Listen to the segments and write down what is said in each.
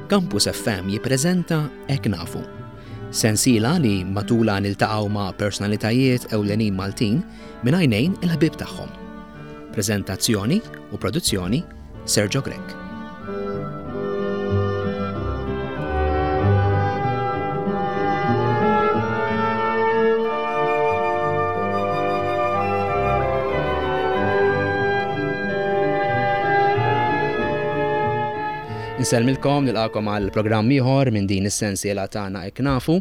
Campus FM jippreżenta Hekk Nafu. Sensiela li matulha niltaqgħu ma' personalitajiet ewlenin Maltin minn għajnejn il-ħbieb tagħhom. Preżentazzjoni u produzzjoni Sergio Grech. Insellmilkom, nilqakom għal programm ieħor minn din is-sensiela tagħna hekk nafu.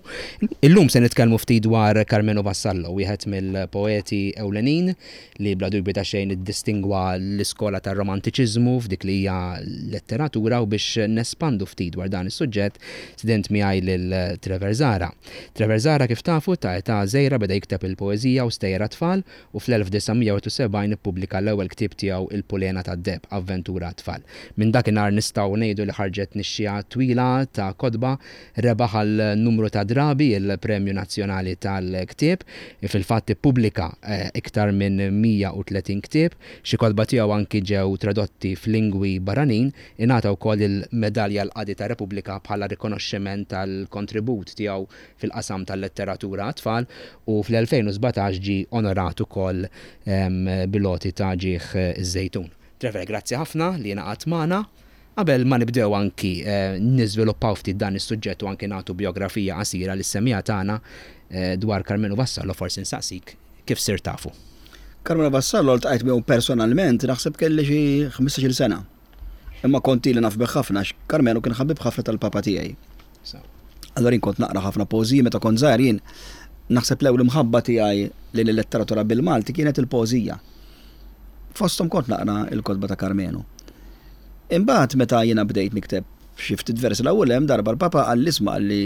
Illum se nitkellmu ftit dwar Karmenu Vassallo, wieħed mill-poeti ewlenin li bla dubju ta' xejn iddistingwa l-iskola tar-Romantiċiżmu f'dik li hija letteratura u biex nespandu ftit dwar dan is-suġġett stident miegħi lil Trevor Zahra. Trevor Zahra kif tafu ta' età żgħira beda jikteb il-poeżija u stejjer għat-tfal u fl-1971 ippubblika l-ewwel ktieb tiegħu Il-Pulena tad-Deheb, Avventura għat-Tfal. Minn dakinhar nistgħu ngħidu li ħarġet nixxiegħa twila ta' kotba Rebaħ għal numru ta' drabi l-Premju Nazzjonali tal-Ktieb. Fil-fatt ippubblika iktar minn 130 ktieb. Xi kotba tiegħu anki ġew tradotti f'lingwi barranin. Ingħata wkoll il-Medalja l-Qadi tar-Repubblika bħala rikonoxximent tal-kontribut tiegħu fil-qasam tal-letteratura għat-tfal u fl-2017 ġie onorat ukoll bil-għoti ta' Ġieħ iż-Żejtun. Trevor, grazzi ħafna li ingħaqadt magħna. Qabel ma nibdew anki niżviluppaw ftit dan is-suġġett u anki nagħtu bijografija qasira lis-semmiegħa tagħna dwar Karmenu Vassallo forsi nsaqsik kif sirt tafu? Karmenu Vassallo ltqajt miegħu personalment naħseb kelli xi 15-il sena. Imma kont ili naf bih ħafna għax Karmenu kien ħabib ħafna tal-papa tiegħi. Allura jien kont naqra ħafna poeżiji meta kont żgħir jien naħseb l-ewwel imħabba tiegħi lejn il-letteratura bil-Malti kienet il-poeżija. Fosthom kont naqra l-kotba ta' Karmenu. Imbagħad meta jiena bdejt nikteb xi ftit versi l-ewwel hemm darba l-Papa qalli isma' qalli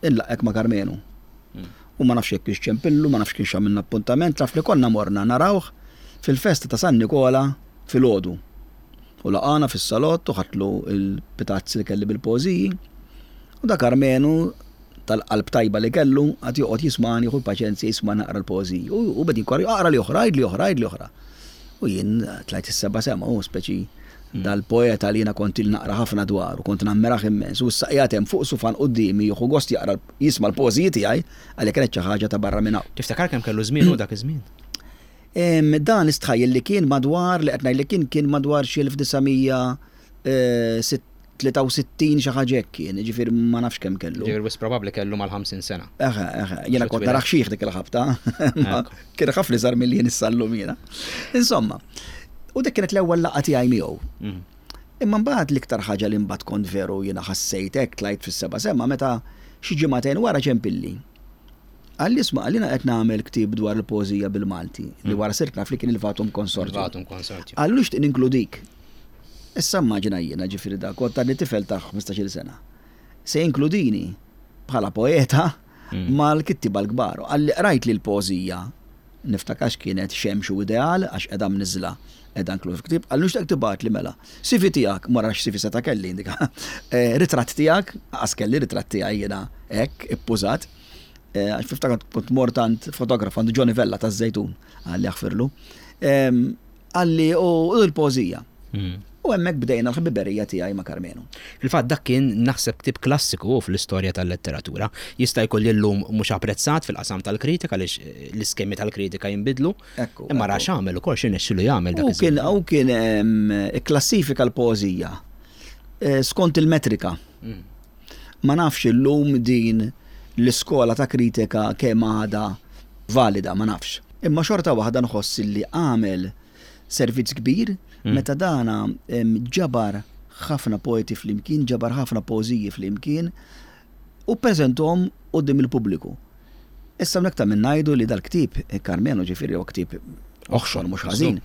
inlaqqgħek ma' Karmenu. U ma nafx jekk kienx ċempillu, ma nafx kienx għamilna appuntament, naf li konna morna narawh fil-festa ta' San Nikola filgħodu. U laqagħna fis-salott u ħadtlu l-pitazzi li kelli bil-poeżiji. U da Karmenu tal-qalb tajba li kellu, għad joqgħod jismani, jieħu l-paċenzja jisma' naqra l-poeżiji. U beda jinkorri, aqra li oħra, għidli oħra, għidli oħra. U jien tlajt is-seba' sema, u speċi hmm. dal-poeta li jiena kont il naqra ħafna dwaru, kont nammiraħ immens, u issa qiegħed hemm fuq sufan quddiemi jieħu gost jaqra jisma' l-poeżiji tiegħi għalli kienet xi ħaġa ta' barra minn hawn. Tiftakar kemm kellu żmien u dak iż-żmien? Dan istħajjel li kien madwar li qed ngħid li kien kien madwar xi 1960 63 xi ħaġa hekk kien, jiġifieri ma nafx kemm kellu. Ġifieri wisq probabbli kellu mal-50 sena. Eħe, eħe, jiena kont narah xiħ dik il-ħabta. Kien ħafna iżgħar milli jien issa llum jiena. Insomma, u dik kienet l-ewwel laqgħa tiegħi miegħu. Mhm. Imma mbagħad l-iktar ħaġa li mbagħad kont veru jiena ħassejt hekk tlajt fis-seba' sema meta xi ġimagħtejn wara ċempilli. Qalli isma' qalli jiena qed nagħmel ktieb dwar il-poeżija bil-Malti li wara sirt naf li kien il-Vatum Consortium. Il-Vatum Consortium. Qalli nixtieq ninkludik. Issa immaġina jiena, ġifieri dak, kont għadni tifel ta' 15-il sena. Se jinkludini bħala poeta mm. mal-kittiba l-kbar. Qalli qrajt li l-poeżija niftakarx kienet xemx u ideal għax qiegħda mniżla qiegħda inkluż f'ktieb, qalli nixtieq tibgħatli mela. CV tiegħek, ma nafx CV seta' kelli indika. Eh, ritratt tiegħek, qas kelli ritratt tiegħi jiena hekk ippużat. Eh, għax fiftakar kont mort għand fotograf għandu Johnny Vella taż-Żejtun, għalli jaħfirlu. Qalli u l-poeżija. Mm. U hemmhekk bdejna l-ħbiberija tiegħi ma' Karmenu. Fil-fatt dak kien naħseb ktieb klassiku fl-istorja tal-letteratura. Jista' jkun li llum mhux apprezzat fil-qasam tal-kritika għaliex eh, l-iskemi tal-kritika jinbidlu. Imma ra x'għamel ukoll x'irnexxielu jagħmel dak. Kien u kien ikklassifika l-poeżija eh, skont il-metrika. Mm. Ma nafx illum din l-iskola ta' kritika kemm għadha valida, ma nafx. Imma xorta waħda nħoss li għamel servizz kbir meta dana ġabar ħafna poeti flimkien, ġabar ħafna poeżiji flimkien u ppreżenthom quddiem il-pubbliku. Issa hawnhekk ta' min ngħidu li dal-ktieb, Karmenu ġifieri huwa ktieb oħxon mhux ħażin.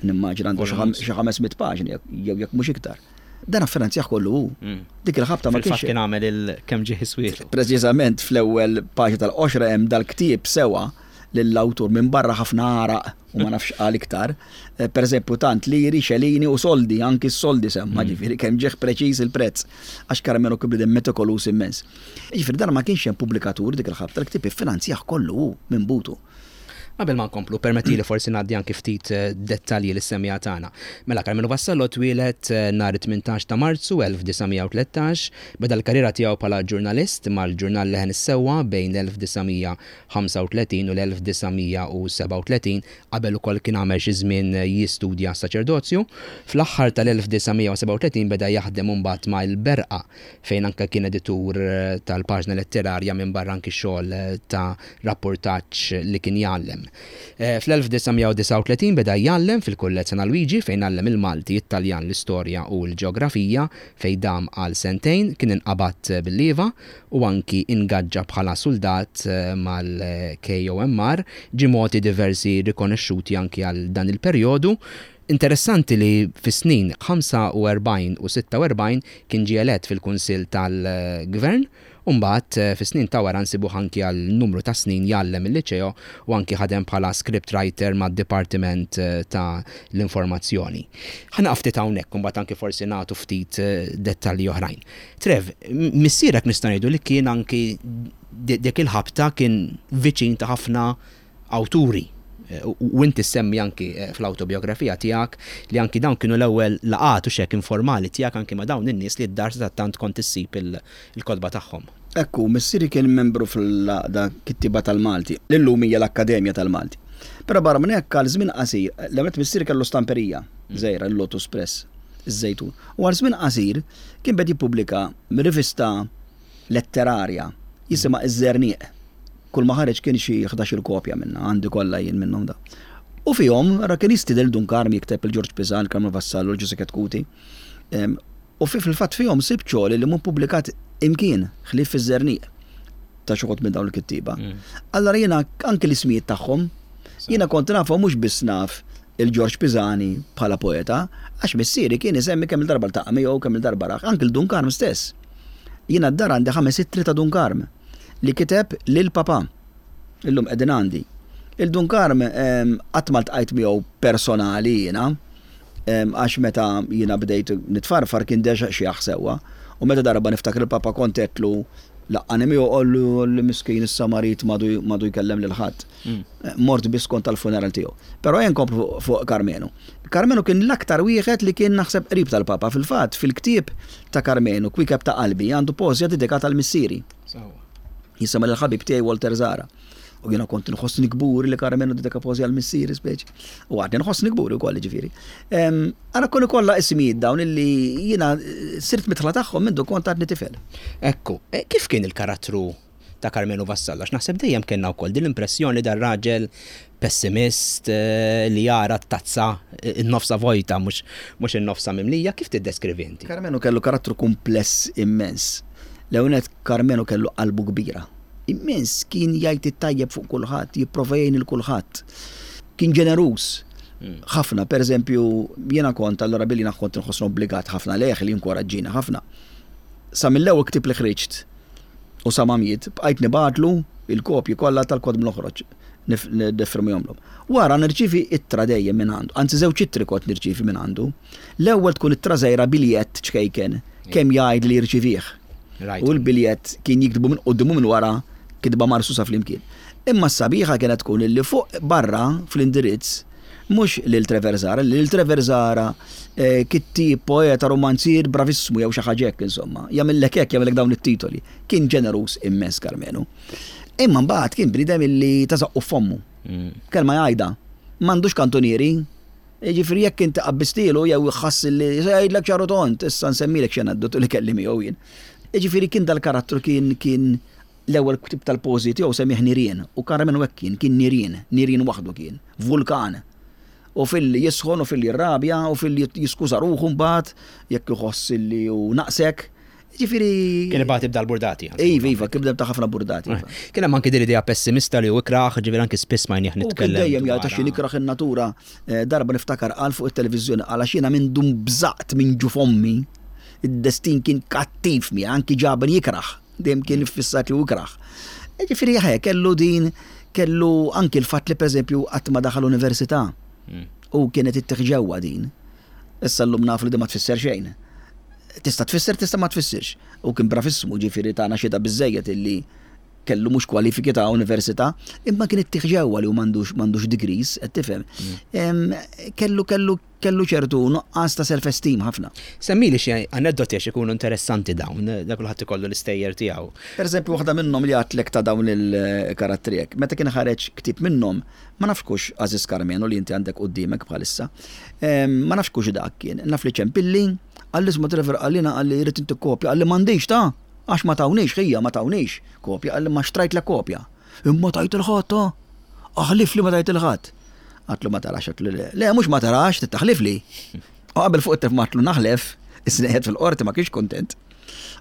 Nimmaġina għandu xi 500 paġni jew jekk mhux iktar. Dan affinanzjah kollu hu. Mm. Dik il-ħabta ma kienx. kien għamel il-kemm ġieħ iswietu. Preċiżament fl-ewwel paġna tal-qoxra hemm dal-ktieb sewa lill-awtur minn barra ħafna għaraq u ma nafx qal iktar. Eh, per eżempju, tant liri, xelini u soldi, anki s-soldi semma, mm. ġifieri kemm ġieħ preċiż il-prezz għax Carmelo kien bniedem metikolus immens. Ġifieri dan ma kienx hemm pubblikatur dik il-ħabta, l-ktieb iffinanzjah kollu hu minn butu. Qabel ma nkomplu, permettili forsi ngħaddi anki ftit dettalji lis-semmiegħa tagħna. Mela, Karmenu Vassallo twieled nhar it-18 ta' Marzu 1913, beda l-karriera tiegħu bħala ġurnalist mal-ġurnal Leħen is-Sewwa bejn l-1935 u l-1937, qabel ukoll kien għamel xi żmien jistudja s-saċerdozju. Fl-aħħar tal-1937 beda jaħdem imbagħad ma' Il-Berqa fejn anke kien editur tal-paġna letterarja minbarra anki xogħol ta' rappurtaġġ li kien jgħallem. Fl-1939 beda jgħallem fil-Kulleġġ San Alwiġi fejn għallem il-Malti, it-Taljan, l-Istorja u l-Ġeografija fejn dam għal sentejn, kien inqabad bil-lieva u anki ingaġġa bħala suldat mal-KOMR, ġie mogħti diversi rikonexxuti anki għal dan il-perjodu. Interessanti li fis-snin 45 u 46 kien ġie elett fil-Kunsill tal-Gvern u mbagħad fis-snin ta' wara nsibuh anki għal numru ta' snin jgħallem il-Liċeo u anki ħadem bħala script writer mad-Dipartiment ta' l-Informazzjoni. Ħa nieqaf ftit hawnhekk u mbagħad anki forsi nagħtu ftit dettalji oħrajn. Trev, missierek nistgħu ngħidu li kien anki dik il-ħabta kien viċin ta' ħafna awturi u inti ssemmi anki fl-awtobiografija tiegħek li anki dawn kienu l-ewwel laqgħat u x'hekk informali tiegħek anki ma' dawn in-nies li d-dar sadattant kont issib il-kotba tagħhom. Hekk hu, missieri kien membru fl-Għaqda Kittieba tal-Malti, li llum hija l-Akkademja tal-Malti. Però barra minn hekk għal żmien qasir, l-ewwel nett missieri kellu stamperija żgħira, il-Lotus Press, iż-Żejtun, u għal żmien qasir kien beda jippubblika rivista letterarja jisimha Iż-Żerniq. Kull ma ħareġ kien xi ħdax-il kopja minnha, għandi kollha jien minnhom da. U fihom, ara kien jistieden lil Dun Karm jikteb, lil Ġorġ Pisan, lil Karmenu Vassallo, lil Ġużè Chetcuti. U fi fil-fatt fihom sibt xogħol li mhu ppubblikat imkien ħlief fiż-Żerniq ta' xi wħud minn dawn il-kittieba. Allura jiena anki l-ismijiet tagħhom, jiena kont nafhom mhux biss naf il-Ġorġ Pisani bħala poeta, għax missieri kien isemmi kemm-il darba ltaqa' miegħu, kemm-il darba rah, anki 'l Dun Karm stess. Jiena d-dar għandi ħames ittri ta' Dun Karm. li kiteb lil papà. Illum qegħdin għandi. Il Dun Karm qatt ma ltqajt miegħu personali jiena, għax meta jiena bdejt nitfarfar kien deġa xjaħ sewwa. U meta darba niftakar il-papa kont għedtlu laqqani miegħu qallu li miskin issa marid m'għadu jkellem lil ħadd. Mort biss kont tal-funeral tiegħu. Però ejja nkomplu fuq Karmenu. Karmenu kien l-aktar wieħed li kien naħseb qrib tal-Papa. Fil-fatt, fil-ktieb ta' Karmenu, Kwiekeb ta' Qalbi, għandu poeżija dedikata għal missieri. Jisimha lil ħabib tiegħi Walter Zara. U jiena kont nħossni kburi li Karmenu dedika poeżija għal missieri speċi. U għadni nħossni kburi wkoll ġifieri. Ara kunu kollha ismijiet dawn illi jiena sirt mitħla tagħhom mindu kont għadni tifel. Ekku, e, kif kien il-karattru ta' Karmenu Vassallo għax naħseb dejjem kellna wkoll din l-impressjoni dar-raġel pessimist eh, li jara t-tazza eh, n-nofsa vojta mhux in-nofsa mimlija, kif tiddeskrivi inti? Karmenu kellu karattru kumpless immens. L-ewwel nett Karmenu kellu qalbu kbira. Immens, kien jgħid it-tajjeb fuq kulħadd, jipprova jgħin il kulħadd. Kien ġeneruż hmm. ħafna, per eżempju, jiena kont allura billi kont nħossni obbligat ħafna lejh li jinkoraġġini ħafna. Sa mill-ewwel ktieb li ħriġt U sa ma miet, bqajt nibgħatlu il-kopji kollha tal-kotb noħroġ, nifirmihomlhom. Wara nirċievi ittra dejjem minn għandu, anzi żewġ ittri kont nirċievi minn għandu. L-ewwel tkun ittra żgħira biljett ċkejken kemm jgħid li jirċivih. U l-biljett kien jiktbu minn quddiem u minn wara kitba marsusa flimkien. Imma s-sabiħa kienet tkun illi fuq barra fl-indirizz Mhux lil Trevor Zahra, lil Trevor Zahra kittieb, poeta, rumanzier bravissmu jew xi ħaġa hekk insomma. Jagħmillek hekk, jagħmillek dawn it-titoli. Kien ġeneruż immens Karmenu. Imma mbagħad kien bniedem illi ta' żaqqu f'fommu. Kelma jgħidha. M'għandux kantunieri. Jiġifieri jekk inti qabbistilu jew ħass li se jgħidlek ċar u tond, issa nsemmilek xi aneddotu li kelli miegħu jien. Jiġifieri kien dal-karattru kien kien L-ewwel ktieb tal-poeżiji tiegħu semmieh Nirien u Karmenu hekk kien, kien nirien, nirien waħdu kien, vulkan. U filli jisħon u filli jirrabja u filli jiskuża ruħu mbagħad jekk iħoss illi hu naqsek. Jiġifieri. Kien ibati b'dal-burdati. Iva, iva, kien bniedem ta' ħafna burdati. Iva. Kien hemm anki din l-idea pessimista li hu ikrah, ġifieri anki spiss smajnih nitkellem. U kien dejjem jgħid għax jien ikrah in-natura. Darba niftakar qal fuq it-televiżjoni qal għax jiena mindu nbżaqt minn ġuf ommi, id-destin kien kattiv miegħi, anki ġabni ikrah. Dejjem kien iffissat li hu ikrah. Ġifieri ħe, kellu din, kellu anki l-fatt li pereżempju qatt ma daħal università. Hmm. U kienet ittieħ ġewwa din. Issa llum nafu li din ma tfisser xejn. Tista' tfisser, tista' ma tfissirx. U kien bravissmu ġifieri tagħna xhieda biżejjed illi kellu mhux kwalifiki ta' università, imma kien ittih ġewwa li hu m'għandux m'għandux degrees, qed tifhem. Kellu kellu kellu ċertu nuqqas ta' self-esteem ħafna. Semmili xi aneddoti għax ikunu interessanti dawn, dak kulħadd ikollu l-istejjer tiegħu. Per eżempju, waħda minnhom li għadtlek ta' dawn il-karattri hekk, meta kien ħareġ ktieb minnhom, ma nafx kux Għażiż Karmenu li inti għandek quddiemek bħalissa, ma nafx kux dak kien, naf li ċempilli, qalli isma' Trevor qalli jiena qalli rrid intik kopja, qalli m'għandix ta'! Għax ma tawniex, ħija, ma tawniex kopja, qalli ma xtrajtlek kopja. Imma tajt 'il ħadd, ta! Aħlifli ma tajt 'il ħadd. Għadtlu ma tarax, għadtlu le. Le, mhux ma tarax, trid taħlifli. U qabel fuq it-telefon għadtlu naħlef, isni qiegħed fil-qorti ma kienx kuntent.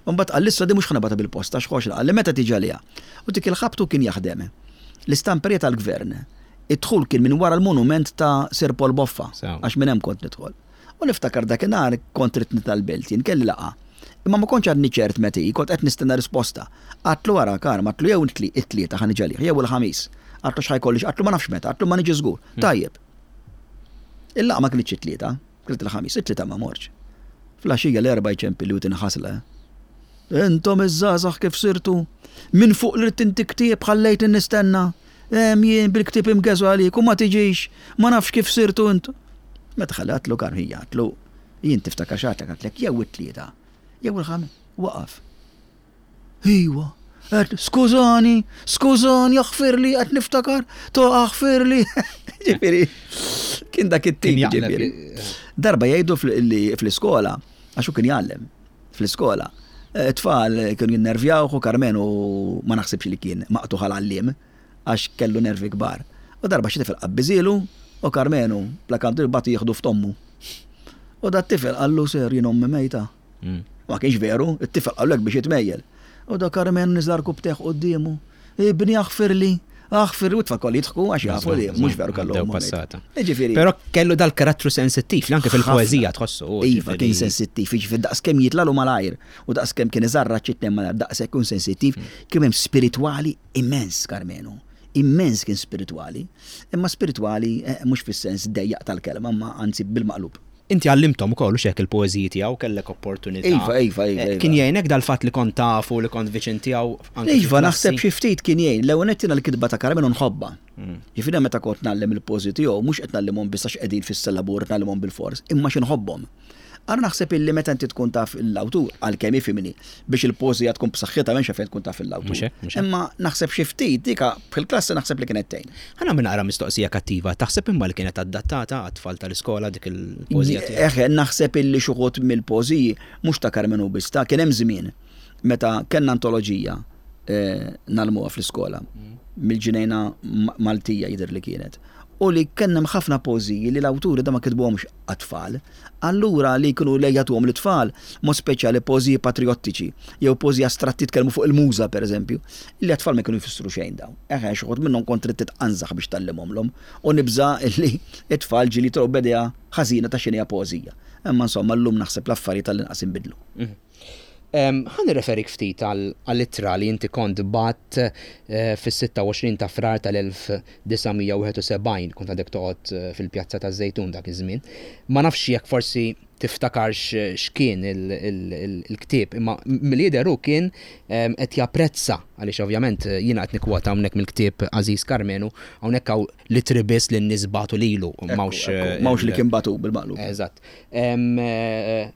U mbagħad qalli issa di mhux ħa nibgħatha bil-posta għax ħoxra, qalli meta tiġi għaliha. U dik il-ħabtu kien jaħdem. L-istamperija tal-gvern. Id-dħul kien minn wara l-monument ta' Sir Paul Boffa, għax minn hemm kont nidħol. U niftakar dakinhar kont ridt nitla' l-belt jien, kelli laqgħa. Imma ma kontx għadni ċert meta hi, kont qed nistenna risposta. Għadtlu ara, Karm, għadtlu jew it-Tlieta ħa niġi għalih, jew il-Ħamis. Għadtlu x'ħa jkolli, għadtlu ma nafx meta, għadtlu ma niġi żgur. Tajjeb. Il-laqgħa ma kinitx it-Tlieta, kienet il-Ħamis, it-Tlieta ma mortx. Fl-għaxija l-Erbgħa jċempilli u tinħasla. Intom iż-żgħażagħ kif sirtu? Minn fuq li ridt inti ktieb ħallejtni nistenna. Hemm jien bil-ktieb imgeżu għalik u ma tiġix, ma nafx kif sirtu intom. Meta ħalli għadtlu Karm ħija għadtlu, jien tiftakar x'għadtlek għadtlek jew it-Tlieta jew il-Ħamis. Waqaf. Iwa, għedt, skużani, skużani, aħfirli, qed niftakar, to aħfirli. Ġifieri, kien dak it-tip ġifieri. Darba jgħidu fl-iskola, għax hu kien jgħallem fl-iskola, it-tfal kienu jinnervjawh u Karmenu ma naħsibx li kien maqtugħ għal għalliem għax kellu nervi kbar. U darba xi tifel qabbiżielu u Karmenu bla kantu bagħtu jieħdu f'tommu. U dat-tifel qallu sir jien ommi mejta. Ma kienx veru, it-tifel qallu hekk biex jitmejjel. U da Karmenu niżla rkubtejh quddiemu. Ibni aħfirli, aħfirli, u t-tfal kollha jidħku għax jafu li mhux veru kellu ommu mejta. Jiġifieri. Però kellu dal-karattru sensittiv li anke fil-poeżija tħossu. Iva, kien sensittiv, jiġifieri daqskemm jitlalu malajr u daqskemm kien iżarraġ it-tnejn malajr, daqshekk ikun sensittiv, kien hemm spiritwali immens Karmenu. Immens kien spiritwali, imma spiritwali mhux fis-sens dejjaq tal-kelma, imma anzi bil-maqlub. Inti għallimthom ukoll hux hekk il-poeżiji tiegħu, kellek opportunità. Iva, iva, iva, iva. Kien jgħinek dal-fatt li kont tafu, li kont viċin tiegħu anke Iva, naħseb xi ftit kien jgħin. L-ewwel nett jiena l-kitba ta' Karmenu nħobbha. Jiġifieri meta kont ngħallem il-poeżiji tiegħu mhux qed ngħallimhom biss għax qegħdin fis-syllabur qed ngħallimhom bilfors, imma għax inħobbhom. Ara naħseb illi meta inti tkun taf l-awtur, għalkemm ifhimni, biex il-poeżija tkun b'saħħitha m'hemmx għalfejn tkun taf l-awtur. Imma naħseb xi ftit dika fil-klassi naħseb li kienet tgħin. Ħa nagħmel naqra mistoqsija kattiva, taħseb imma li kienet adattata għat-tfal tal-iskola dik il-poeżija tiegħek? Eħe, naħseb illi xi wħud mill-poeżiji, mhux ta' Karmenu biss, ta' kien hemm żmien meta kellna antoloġija ngħallmuha fl-iskola, mill-Ġnejna Maltija jidher li kienet. U li kien hemm ħafna poeżiji li l-awturi da ma kitbuhomx għat-tfal. Allura li kienu li jagħtuhom lit-tfal, mod speċjali poeżiji patrijottiċi jew poeżiji astratti jitkellmu fuq il-muża pereżempju, li għat-tfal ma kienu jfissru xejn dawn. Eħe, xi wħud minnhom kont trid titqanżaħ biex tgħallimhomlhom u nibża' li t-tfal ġieli jitolgħu b'idea ħażina ta' x'inhija poeżija. Imma insomma llum naħseb l-affarijiet għall-inqas inbidlu. Ħa nirreferik ftit għall-ittra li inti kont bgħatt fis-26 ta' Frar tal-1971, kont għadek toqgħod fil-Pjazza taż-Żejtun dak iż-żmien. Ma nafx jekk forsi tiftakarx x'kien il-ktieb, imma milli jidher hu kien qed japprezza, għaliex ovvjament jiena qed nikkwota hawnhekk mill-ktieb Għażiż Karmenu, hawnhekk hawn l-ittri biss li n-nies bagħtu lilu, m'hawnx. M'hawnx li kien bagħtu bil-maqlub. Eżatt.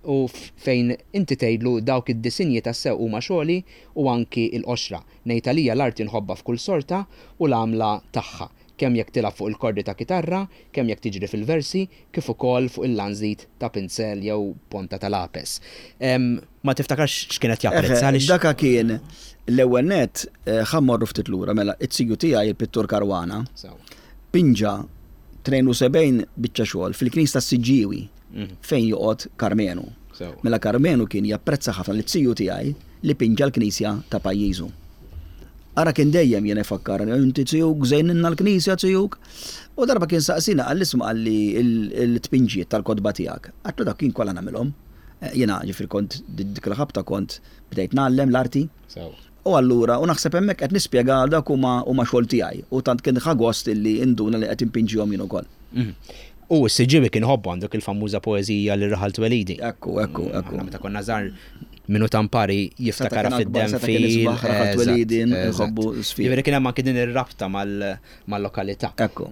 U fejn inti tgħidlu dawk id-disinji tassew huma xogħli u anki l-qoxra. Ngħid għalija l-arti nħobbha f'kull sorta u l-għamla tagħha, kemm jekk tilgħab fuq il-kordi ta' kitarra, kemm jekk tiġri fil-versi, kif ukoll fuq il-lanżit ta' pinzell jew ponta ta' lapes. Ma tiftakarx x'kien qed japprezza għaliex. Daka kien l-ewwel nett, ħa mmorru ftit lura, mela, it-siju tiegħi il-pittur Caruana, pinġa 72 biċċa xogħol fil-knisja tas-Siġġiewi fejn joqgħod Karmenu. Mela Karmenu kien japprezza ħafna lit-tiju tiegħi li pinġa l-knisja ta' pajjiżu. Ara kien dejjem jiena jfakkarni, inti tijuk żejninna l-knisja tijuk. U darba kien saqsina qalli isma' qalli l-tpinġiet tal-kotba tiegħek. Għedtlu dak kien kollha nagħmilhom. Jiena ġifieri kont dik il-ħabta kont bdejt ngħallem l-arti. U allura, u naħseb hemmhekk qed nispjega għal dawk huma huma xogħol tiegħi u tant kien ħa gost illi induna li qed inpinġihom jien ukoll. U s-Siġġiewi kien iħobbu għandu dik il-famuża poeżija Lil Raħal Twelidi. Ekku, ekku, ekku. Aħna meta konna żgħar Min hu Tampari jiftakarha fid-Denfil. Jiġifieri kien hemm anki din ir-rabta mal-lokalità. Ekku.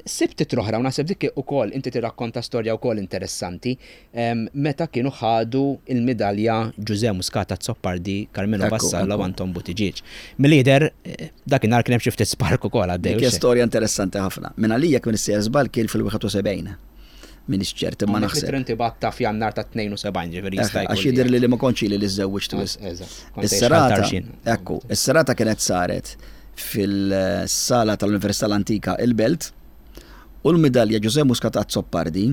Sibt ittra oħra u naħseb dik ukoll inti tirrakkonta storja wkoll interessanti meta kienu ħadu l-midalja Ġużè Muscat Azzopardi, Karmenu Vassallo u Anton Buttigieg. Milli jidher dakinhar kien hemm xi ftit spark ukoll għaddej. Dik hija storja interessanti ħafna. Minn għalija jekk m'iniex sejjer żball kien fil-71. M'iniex ċert imma naħseb. Hawnhekk l-ittra ta' f'Jannar ta' 72 ġifieri jista' jkun. Għax jidhirli li ma kontx ili li żżewwiġt wisq. Is-serata, ekku, is-serata kienet saret fil-sala tal-Università l-Antika il-Belt u l-midalja Ġużè Muscat Azzopardi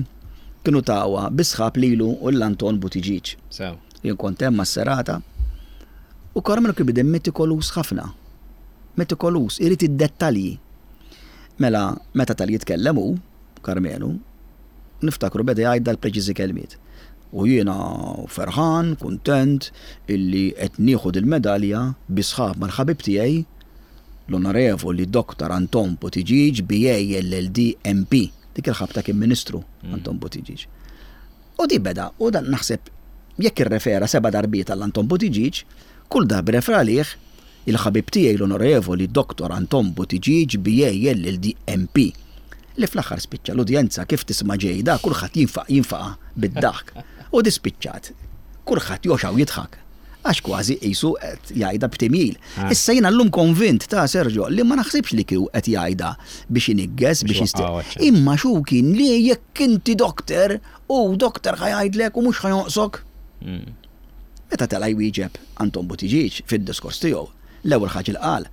kienu tawha bi sħab lilu u lil Anton Buttigieg. Sew. Jien kont hemm għas-serata u Carmelo kien bniedem metikoluż ħafna. Metikoluż, irid id-dettalji. Mela, meta tal jitkellem hu, Karmenu, niftakru beda jgħid dal-preċiżi kelmiet. U jiena ferħan, kuntent illi qed nieħu dil-medalja bi sħab mal-ħabib tiegħi, l-Onorevoli Dottor Anton Buttigieg, BA LLD MP. Dik il-ħabta kien Ministru Anton Buttigieg. U di beda, u dan naħseb jekk irrefera seba' darbiet għal Anton Buttigieg, kull darba rrefera għalih Il-ħabib tiegħi l-Onorevoli Dottor Anton Buttigieg BA LLD MP. Li fl-aħħar spiċċa l-udjenza kif tisma' ġej da kulħadd jinfaq jinfaqa' bid-daħk. U di spiċċat. Kulħadd jogħxa u jidħak. Għax kważi qisu qed jgħidha b'timjil. Issa jiena llum konvint ta' Sergio li ma naħsibx li kieku qed jgħidha biex iniggeż biex jist Imma x'hu kien li jekk inti doctor u doctor ħa jgħidlek u mhux ħa jonqsok. Meta tela' jwieġeb Anton Buttigieg fid-diskors tiegħu, l-ewwel ħaġa li qal,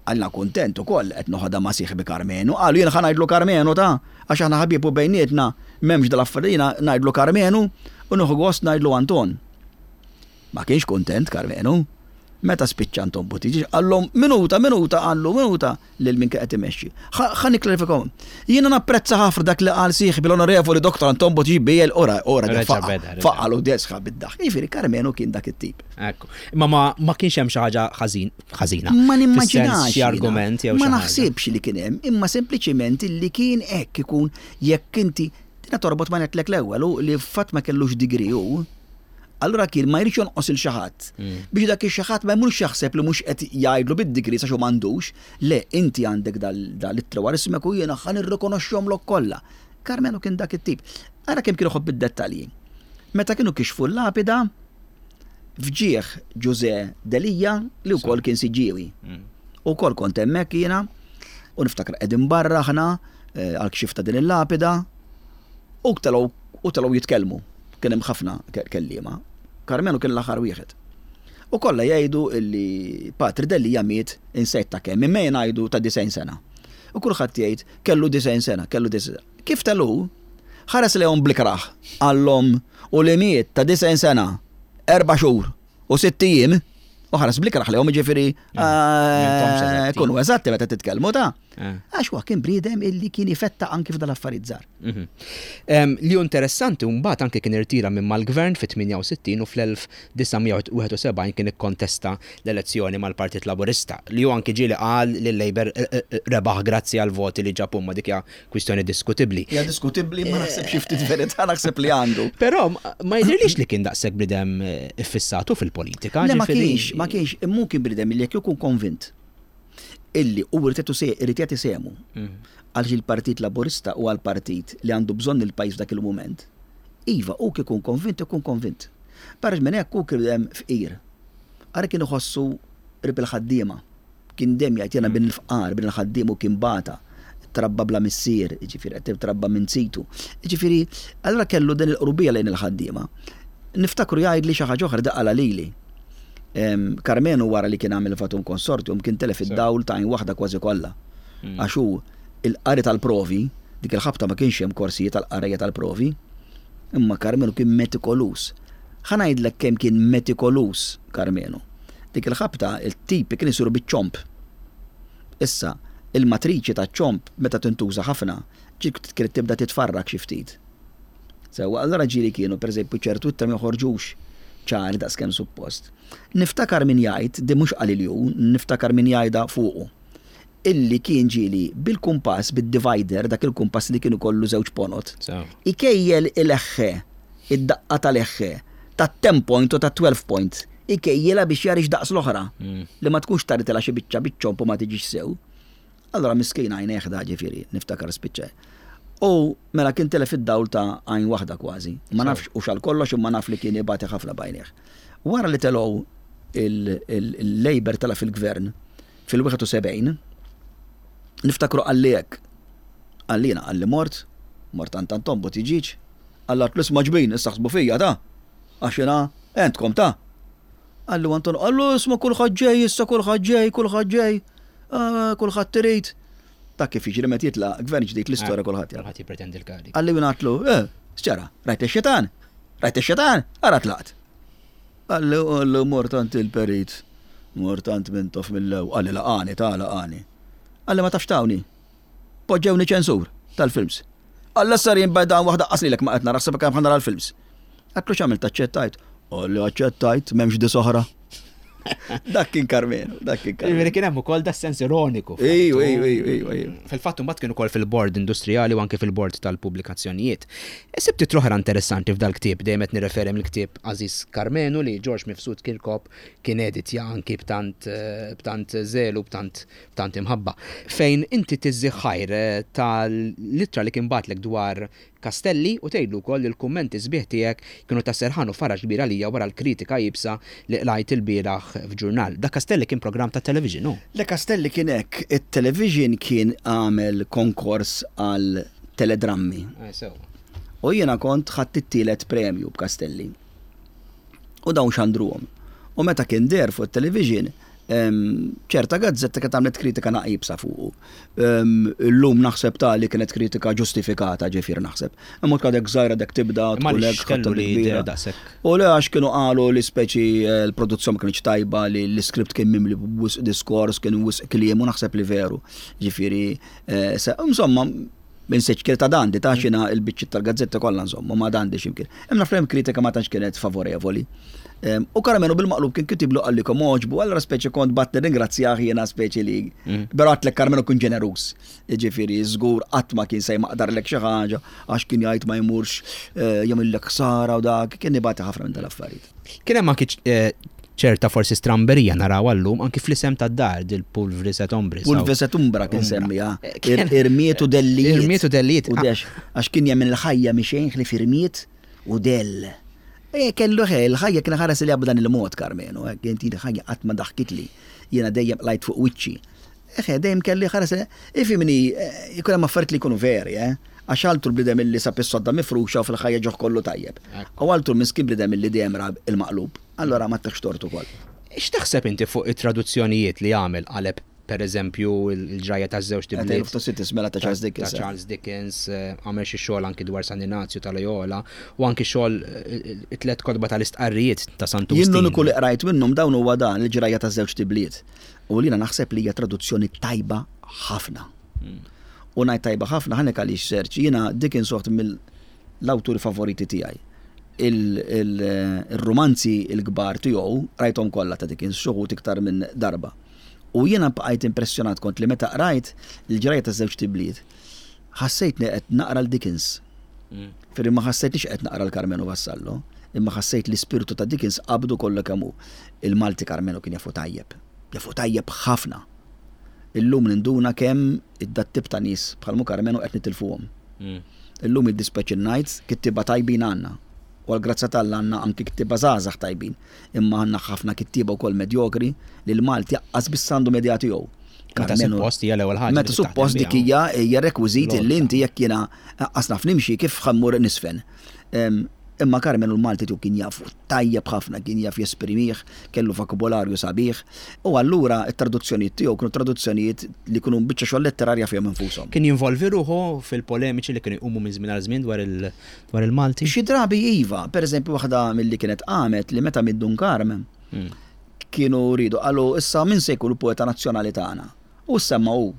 qalna kuntent ukoll qed noħodha ma' sieħbi Karmenu, qalu jien ħa ngħidlu Karmenu ta' għax aħna ħbieb u bejnietna m'hemmx dal-affarijiet jiena ngħidlu Karmenu u nieħu gost ngħidlu Anton. Ma kienx kuntent Karmenu. Meta spiċċa Anton Buttigieg qallhom minuta, minuta, qallu minuta lil min kien qed imexxi. Ħa nikklarifikaw. Jiena napprezza ħafna dak li qal sieħbi l-Onorevoli Dr. Anton Buttigieg BL ora ora faqal u desħa bid-daħk. Jiġifieri Karmenu kien dak it-tip. Ekku. Imma ma kienx hemm xi ħaġa ħażin ħażina. Ma nimmaġinax. Xi argument jew Ma naħsibx li kien hemm, imma sempliċiment li kien hekk ikun jekk inti tina torbot ma ngħidlek l-ewwel u li fatt ma kellux degree hu Allura kien ma jridx jonqos il xi ħadd. Mm. Biex dak ix-xi ħadd ma jmurx jaħseb li mhux qed jgħidlu bid-degrees għax hu m'għandux. Le, inti għandek dal-ittra wara ismek u jiena ħa nirrikonoxxihomlok kollha. Karmenu kien dak it-tip. Ara kemm kien iħobb id-dettalji. Meta kienu kixfu l-lapida f'ġieħ Ġuże Delija li wkoll kien Siġġiewi. Mm. Ukoll kont hemmhekk jiena u niftakar qegħdin barra aħna eh, għal kxif ta' din il-lapida u telgħu u telgħu jitkellmu. Kien hemm ħafna kelliema. Karmenu kien l-aħħar wieħed. U kollha jgħidu illi Patri Delia miet insejt ta' kemm, imma jien ngħidu ta' 90 sena. U kulħadd jgħid kellu 90 sena, kellu 90 sena. Kif telu, ħares lejhom bl-ikrah, qallhom u li miet ta' 90 sena, erba' xhur u sitt ijiem, u ħares bl-ikrah lejhom jiġifieri eh, kunu eżatti meta titkellmu ta' eh. Għax huwa kien bniedem illi kien ifetta anki f'dal-affarijiet żgħar. Mhm. Li hu interessanti mbagħad anke kien irtira minn mal-gvern fit-68 u fl-1971 kien ikkontesta l-elezzjoni mal-Partit Laburista li hu anki ġieli qal li l-Labour eh, eh, rebaħ grazzi għal voti li ġab huma dik hija kwistjoni diskutibbli. Hija diskutibbli ma naħseb xi ftit verità naħseb li għandu. Però ma jidhirlix li kien daqshekk bniedem eh, iffissatu fil-politika. Le ma kienx, ma kienx, immu kien bniedem li jekk ikun konvint illi hu irid jagħti sehmu għaliex il-Partit Laburista huwa l-partit li għandu bżonn il-pajjiż f'dak il-mument, iva, hu kif ikun konvint ikun konvint. Barra minn hekk hu kien dejjem fqir. Ara kien iħossu qrib il-ħaddiema. Kien dejjem jgħid jiena bin il-fqar, bin il-ħaddiem u kien bata. Trabba bla missier, jiġifieri qed trabba minn zitu. Jiġifieri, allura kellu din il-qrubija lejn il-ħaddiema. Niftakru jgħidli xi ħaġa oħra daqala lili. Karmenu wara li kien għamel Vatum Consortium kien telef id-dawl ta' għajn waħda kważi kollha. Hmm. Għax hu il-qari tal-provi, dik il-ħabta ma kienx hemm korsijiet tal-qarrejja tal-provi, imma Karmenu kien metikoluż. Ħa ngħidlek kemm kien metikoluż Karmenu. Dik il-ħabta il-tipi kien isiru biċ-ċomb. Issa, il-matriċi taċ-ċomb meta tintuża ħafna, ġiet kienet tibda titfarrak xi ftit. Sewwa, allura ġieli kienu, pereżempju, ċertu ittra ma joħorġux ċari daqskemm suppost. Niftakar min jgħid, din mhux qalili hu, niftakar min jgħidha fuqu, illi kien ġieli bil-kumpass, bid-divider, dak il-kumpass li kien ikollu żewġ ponot, ikejjel il-eħħe, id-daqqa tal-eħħe. Ta' 10 point u ta' 12 point. Ikejjilha biex jara x'daqs l-oħra. Li ma tkunx taritilha xi biċċa biċ-ċomb u ma tiġix sew. Allura miskin għajnejh da ġifieri, niftakar spiċċa. U mela kien telef id-dawl ta' għajn waħda kważi. Ma nafx hux għal kollox imma naf li kien ibati ħafna b'għajnejh. Wara li telgħu il-Labour tela' fil-gvern fil-71, niftakru qalli hekk. Qalli jiena qalli mort, mort għand Anton Buttigieg, qalli għatlu isma' ġbin, issa ħsbu fija ta' għax jiena għentkom ta'. Qallu Anton, qallu isma' kulħadd ġej issa kulħadd ġej, kulħadd ġej, ah, kulħadd irid. Ta' kif jiġri meta jitla' gvern ġdid l-istorja ah, kulħadd jaf. Kulħadd jippretendi l-kariga. Qalli jien għatlu, eh, x'ġara, rajt ix-xitan? Rajt ix-xitan? Ara tlaqt. Qalli qallu mort għand il-perit, mort għand Mintoff mill-ewwel, qalli laqani ta' laqani. Qalli ma tafx tawni. Poġġewni ċensur tal-films. Alla sar jien bajda waħda qas lilek ma qed nara ħseb kemm nara l-films. Għatlu x'għamilt aċċettajt? Qalli aċċettajt m'hemmx dis oħra. Dak kien Karmenu, dak kien Karmenu. Jiġifieri kien hemm ukoll da sens ironiku. Ejju, ejju, ejju, ejju. Fil-fatt imbagħad kien ukoll fil-bord industrijali u anke fil-bord tal-pubblikazzjonijiet. Sibt titlu oħra interessanti f'dal-ktieb, dejjem qed nirreferi mill-ktieb Għażiż Karmenu li Ġorġ Mifsud Kirkop kien editja anki b'tant b'tant żelu, b'tant b'tant imħabba. Fejn inti tiżżih ħajr tal-ittra li kien bagħatlek dwar Castelli u tgħidlu wkoll li l-kummenti sbieħ tiegħek kienu ta' serħan u faraġ kbir għalija wara l-kritika iebsa li qlajt ilbieraħ f'ġurnal. Dak Castelli kien programm tat-television, hu? Le Castelli kien hekk, it-television kien għamel konkors għal teledrammi. Eh, sewwa. U jiena kont ħadt it-tielet premju b'Castelli. U dawn xandruhom. U meta kien deher fuq it-television, ċerta gazzetta kienet għamlet kritika naqibsa fuqu. Illum naħseb ta' li kienet kritika ġustifikata ġifier naħseb. Imma tkun żgħira dek tibda tkun hekk. U le għax kienu qalu li speċi eh, l-produzzjoni ma kienx tajba li l-iskript kien mimli wisq diskors, kien wisq kliem u naħseb li veru. Ġifieri, eh, insomma, Minsejtx kienet għad għandi, ta' xina il-biċċiet tal-gazzetti kollha nżommu, ma għandi x'imkien. Hemm naf hemm kritika ma tantx kienet favorevoli. Ehm, u Karamenu bil-maqlub kien kitiblu qalli kom oġbu, allura speċi kont bat nirringrazzjah jiena speċi li. Mm. Però għatlek Karmenu kien ġenerus. Ġifieri żgur qatt ma kien se jmaqdarlek xi ħaġa għax kien jgħid ma jmurx eh, jagħmillek ħsara u dak, kien ibati ħafna minn dal-affarijiet. Kien hemm anki eh, ċerta forsi stramberija naraw għallum anki fl-isem tad-dar dil-pulvris et ombris. Pulvris et umbra kien semmija. Eh, irmiet u dellijiet. Irmiet u dellijiet. U dex, għax kien jemmen il-ħajja mixejn ħlief irmiet u dell. E, kellu ħe, il-ħajja kien ħares li b'dan il-mod, Karmenu, eh, kien tini ħajja qatt ma daħkitli. Jiena dejjem qlajt fuq wiċċi. Eħe, dejjem kelli ħares, ifhimni, jkun hemm affarijiet li jkunu veri, eh? Għax altru bniedem illi sab is-sodda mifruxa u fil-ħajja ġoh kollu tajjeb. U altru miskin bniedem illi dejjem ra l-maqlub. Allura ma ttiħx tort ukoll. X'taħseb inti fuq it-traduzzjonijiet li għamel Qaleb, per eżempju, il-ġrajja taż-żewġt ibliet? A Tale of Two Cities, mela ta' Charles Dickens. Ta' Charles Dickens, għamel xi xogħol anki dwar San Inazju ta' Loyola, u anki xogħol it-tliet kotba tal-istqarrijiet ta' Sant'Wistin. Jien l-uniku li qrajt minnhom dawn huwa dan, il-ġrajja taż-żewġt ibliet. U li jiena naħseb li hija traduzzjoni tajba ħafna. U ngħid tajba ħafna ħanek għaliex Serġ, jiena Dickens waħd mill-awturi favoriti tiegħi. Il-rumanzi l-kbar tiegħu qrajthom kollha ta' Dickens, xi wħud iktar minn darba. U jiena bqajt impressjonat kont li meta qrajt Il-Ġrajja taż-Żewġt Ibliet, ħassejtni qed naqra 'l Dickens. Firri ma ħassejtnix qed naqra 'l Karmenu Vassallo, imma ħassejt l-ispirtu ta' Dickens qabdu kollu kemm hu. Il-Malti Karmenu kien jafu tajjeb. Jafu tajjeb ħafna. Illum ninduna kemm id-dat-tip ta' nies bħal mhu Karmenu qed nitilfuhom. Illum jiddispjaċini ngħid, kittieba tajbin għandna. U għall-grazzja t'Alla għandna anki kittieba żgħażagħ tajbin. Imma għandna ħafna kittieba wkoll medjokri li l-Malti aqqas biss għandhom idea tiegħu. Meta suppost hija l-ewwel ħaġa. Meta suppost dik hija hija rekwiżit li inti jekk jiena aqqas naf nimxi kif ħa mmur nisfen. Imma Karmenu l-Malti tiegħu kien jafu tajjeb ħafna, kien jaf jesprimih, kellu vokabolarju sabiħ, u allura t-traduzzjonijiet tiegħu kienu traduzzjonijiet li kienu biċċa xogħol letterarja fihom infushom. Kien jinvolvi ruħu fil-polemiċi li kienu jqumu minn żmien għal żmien dwar il-Malti? Xi drabi iva, pereżempju waħda milli kienet qamet li meta miet Dun Karm, kienu riedu qalu issa min se jkun il-poeta nazzjonali tagħna? U ssemma hu,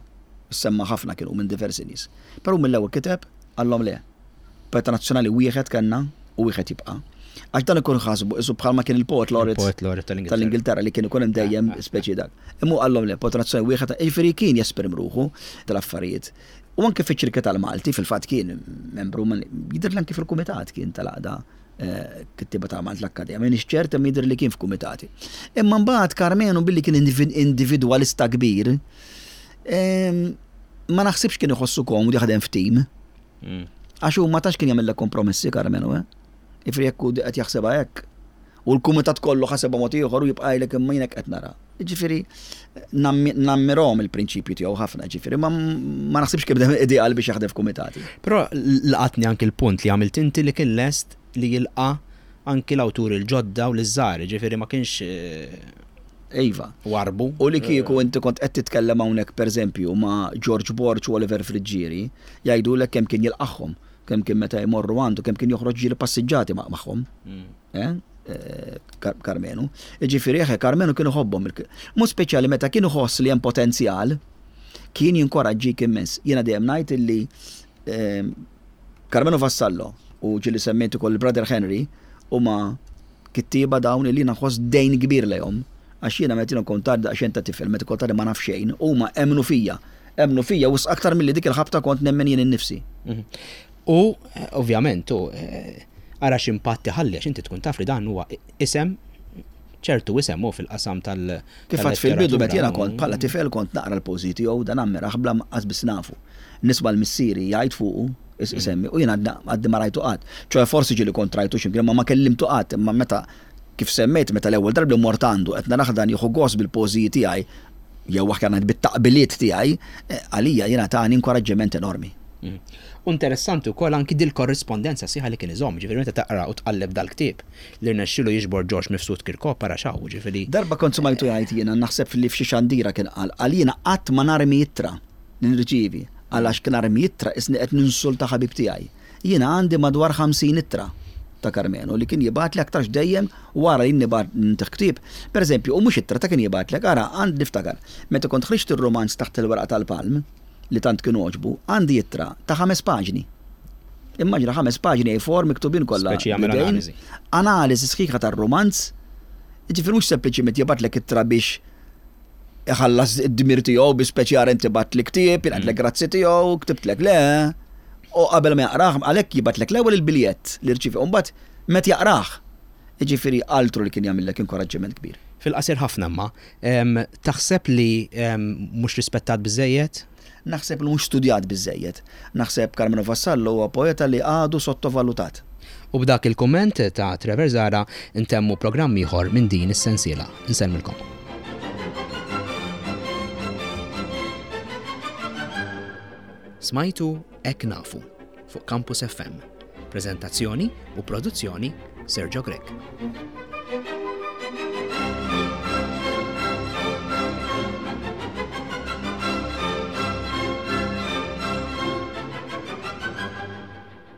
ssemma ħafna kienu minn diversi nies. Però hu mill-ewwel kiteb qallhom le. Poeta nazzjonali wieħed kellna u wieħed jibqa'. Għax dan ikun ħasbu qisu bħalma kien il-poet laureate tal-Ingilterra li kien ikun hemm dejjem speċi dak. Imma hu qallhom le, poeta nazzjonali wieħed, jiġifieri kien jesprim ruħu tal-affarijiet. U anke fiċ-ċirki tal-Malti fil-fatt kien membru, jidhirli anke fil-kumitat kien tal-għaqda. Kittieba ta' Malta l-Akkademja, m'iniex ċert imma jidher li kien f'kumitati. Imma mbagħad Karmenu billi kien individwalista kbir, ma naħsibx kien iħossu komdu jaħdem f'tim. Mm. Għax hu ma tax kien jagħmel kompromessi Karmenu, eh? Ifri jekk hu qed jaħsebha hekk. U l-kumitat kollu ħasebha mod ieħor u jibqa' jgħidlek imma jien hekk qed nara. Ġifieri nammirhom il-prinċipju tiegħu ħafna, ġifieri ma naħsibx kif ideal biex jaħdem f'kumitati. Però laqatni anki l-punt li għamilt inti li kien lest li jilqa' anki l-awturi l-ġodda u l-żgħar, ġifieri ma kienx eh, Iva. Warbu. U li kieku inti kont qed titkellem hawnhekk pereżempju ma' George Borg u Oliver Friggieri, jgħidulek kemm kien jilqagħhom, kemm kien meta jmorru għandu, kemm kien joħroġ ġieli passiġġati magħhom. Mm. Eh? Eh, Karmenu. Ġifieri eħe Karmenu kien iħobbhom. Mod speċjali meta kien iħoss li hemm potenzjal, kien jinkoraġġik immens. Jiena dejjem ngħid illi eh, Karmenu Vassallo u ġieli semmejt ukoll il-Brother Henry huma kittieba dawn illi jiena nħoss dejn kbir lejhom. Għax jiena meta jiena kont għadni daqsxejn ta' tifel, meta kont għadni ma naf xejn, huma emmnu fija. Emmnu fija wisq aktar milli dik il-ħabta kont nemmen jien innifsi. Mhm. U ovvjament, u eh, ara x'impatt iħalli għax inti tkun taf li dan huwa isem ċertu isem hu fil-qasam tal. Kif għad fil-bidu meta jiena kont bħala tifel kont naqra l-poeżiji tiegħu dan ammirah bla qas biss nafu. Nisma' l-missieri jgħid fuqu, isemmi, u jiena għadni ma rajtu qatt. ċoe forsi ġieli kont rajtu x'imkien imma ma kellimtu qatt, imma meta kif semmejt meta l-ewwel darba li mort għandu qed narah dan jieħu gost bil-poeżiji tiegħi jew aħjar ngħid bit-taqbiliet tiegħi, eh, għalija jiena tani inkoraġġiment enormi. Mm. U interessanti wkoll anki dil-korrispondenza sħiħa li kien iżomm, ġifieri meta taqra u tqalleb dal-ktieb li rnexxielu jiġbor Ġorġ Mifsud Kirkop ara x'hawn, ġifieri. Darba kont smajtu jgħid jiena naħseb li f'xi xandira kien qal, qal jiena qatt ma narmi ittra li nirċievi, qal għax narmi ittra qisni qed ninsulta ħabib tiegħi. Jiena għandi madwar 50 ittra ta' Karmenu li kien jibgħatli aktarx dejjem wara li jien nibgħat nintih ktieb. Pereżempju, u mhux ittra ta' kien jibgħatlek, ara, għand niftakar, meta kont ħriġt ir-rumanz Taħt il-Werqa tal-Palm, li tant kien għoġbu, għandi ittra ta' ħames paġni. Immaġina ħames paġni A4 miktubin kollha. Speċi jagħmel analiżi. Analiżi sħiħa tar-rumanz. Jiġifieri mhux sempliċiment jibgħatlek ittra biex iħallas id-dmir tiegħu bi speċi ara inti bagħtli ktieb, jingħadlek mm. grazzi tiegħu, ktibtlek le. U qabel ma jaqrah, għalhekk jibgħatlek l-ewwel il-biljett li rċivi, u mbagħad meta jaqrah. Jiġifieri altru li kien jagħmillek inkoraġġiment kbir. Fil-qasir ħafna imma, taħseb li mhux rispettat biżżejjed? Naħseb li mhux studjat biżżejjed. Naħseb Karmenu Vassallo huwa poeta li għadu sottovalutat. U b'dak il-kumment ta' Trevor Zahra ntemmu programm ieħor minn din is-sensiela. Insellmilkom. Smajtu Hekk Nafu fuq Campus FM. Preżentazzjoni u produzzjoni Sergio Grech.